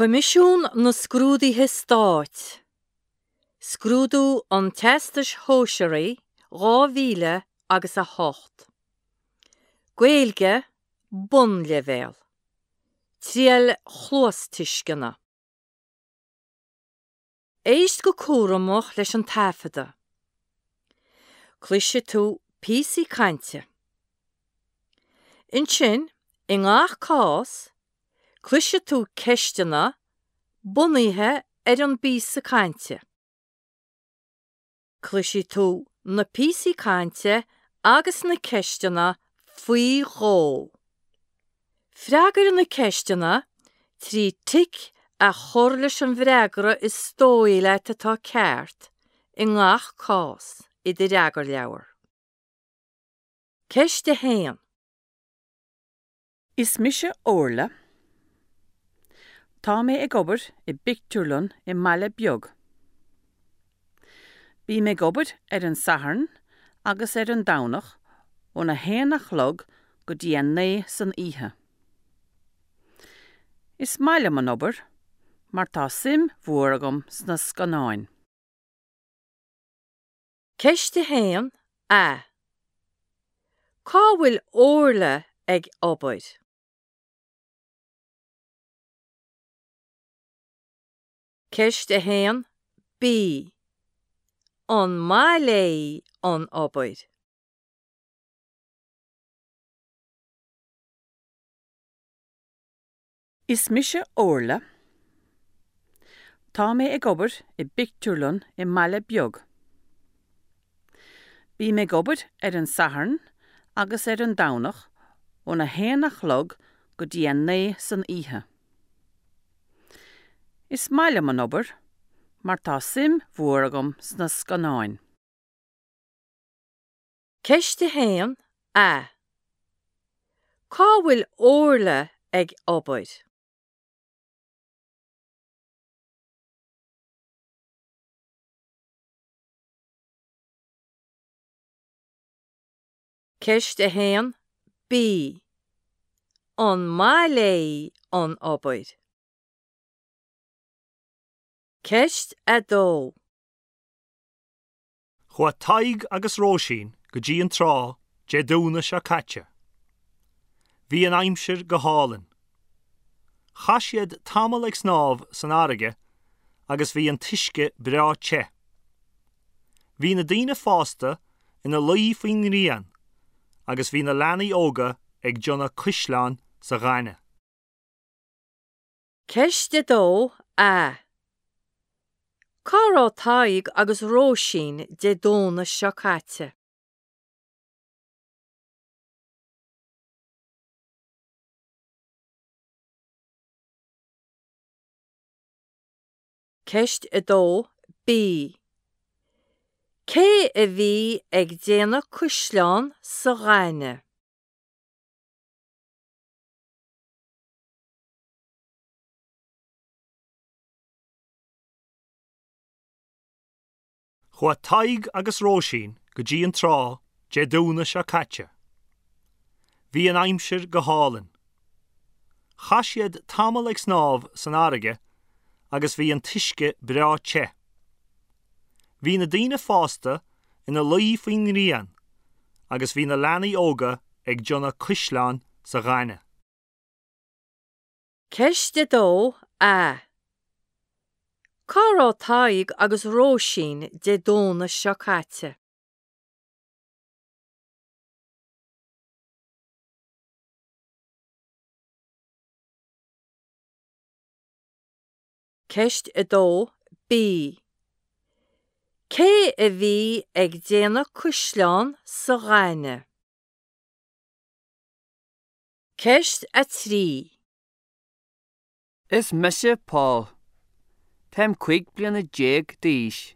Coimisiún na Scrúduithe Stáit, Scrúdú an Teastais Shóisearaigh 2000 agus 8. Gaeilge, Bonnleibhéal. Triail chluastuisceana. Éist go cúramach leis an taifeadadh. Cloisfidh tú píosaí cainte. Ansin, i ngach cás, cloisfidh tú ceisteanna bunaithe ar an bpíosa cainte. Cloisfidh tú na píosaí cainte agus na ceisteanna faoi dhó. Freagair na ceisteanna trí tic a chur leis an bhfreagra is dóigh leat atá ceart i ngach cás i do fhreagarleabhar. Ceist 1. Is mise Orla. Tá mé ag obair i bpictiúrlann i mbaile beag. Bím ag obair ar an Satharn agus ar an Domhnach óna haon a chlog go dtí a naoi san oíche. Is maith liom an obair mar tá suim mhór agam sna scannáin. Ceist 1, A. Cá bhfuil Orla ag obair? Ceist 1, B. An maith léi an obair? Is mise Orla. Tá mé ag obair i bpictiúrlann i mbaile beag. Bím ag obair ar an Satharn agus ar an Domhnach óna haon a chlog go dtí a naoi san oíche. Is maith liom an obair mar tá suim mhór agam sna scannáin. Ceist 1, A. Cá bhfuil Orla ag obair? Ceist 1, B. An maith léi an obair? Ceist 2. Chuaigh Tadhg agus Róisín go dtí an trá Dé Domhnaigh seo caite. Bhí an aimsir go hálainn. Chaith siad tamall ag snámh san fharraige agus bhí an t-uisce breá te. Bhí na daoine fásta ina luí faoin ngrian agus bhí na leanaí óga ag déanamh cuisleáin sa ghaineamh. Ceist 2, A. Cá raibh Tadhg agus Róisín Dé Domhnaigh seo caite? Ceist 2, B. Cé a bhí ag déanamh cuisleán sa ghaineamh? Chuaigh Tadhg agus Róisín go dtí an trá Dé Domhnaigh seo caite. Bhí an aimsir go hálainn. Chaith siad tamall ag snámh san fharraige agus bhí an t-uisce breá te. Bhí na daoine fásta ina luí faoin ngrian agus bhí na leanaí óga ag déanamh cuisleáin sa ghaineamh. Ceist 2, A. Cá raibh Tadhg agus Róisín Dé Domhnaigh seo caite? Ceist 2, B. Cé a bhí ag déanamh cuisleán sa ghaineamh? Ceist 3. Is mise Paul. Táim 15 bliana d'aois.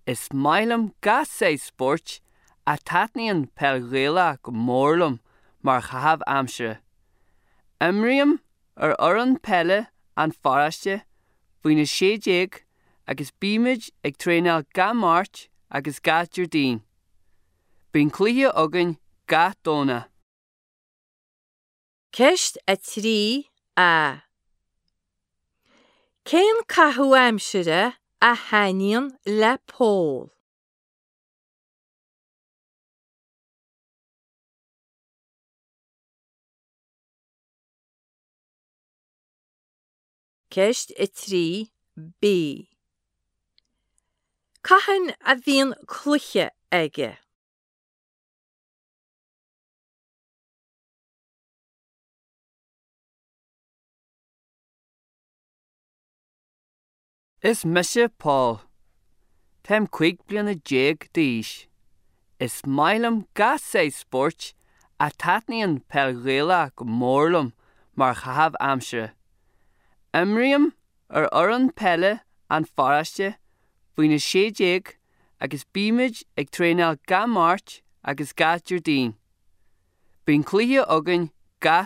Is maith liom gach saghas spóirt ach taitníonn peil Ghaelach go mór liom mar chaitheamh aimsire. Imrím ar fhoireann peile an pharóiste faoina 16 agus bímid ag traenáil gach Máirt agus gach Déardaoin. Bíonn cluiche againn gach Domhnach. Ceist 3 A. Cén caitheamh aimsire a thaitníonn le Pól? Ceist 3 B. Cathain a bhíonn cluiche aige? Is mise Paul. Táim 15 bliana d'aois. Is maith liom gach saghas spóirt ach taitníonn peil Ghaelach go mór liom mar chaitheamh aimsire. Imrím ar fhoireann peile an pharóiste faoina 16 agus bímid ag traenáil gach Máirt agus gach Déardaoin. Bíonn cluiche againn.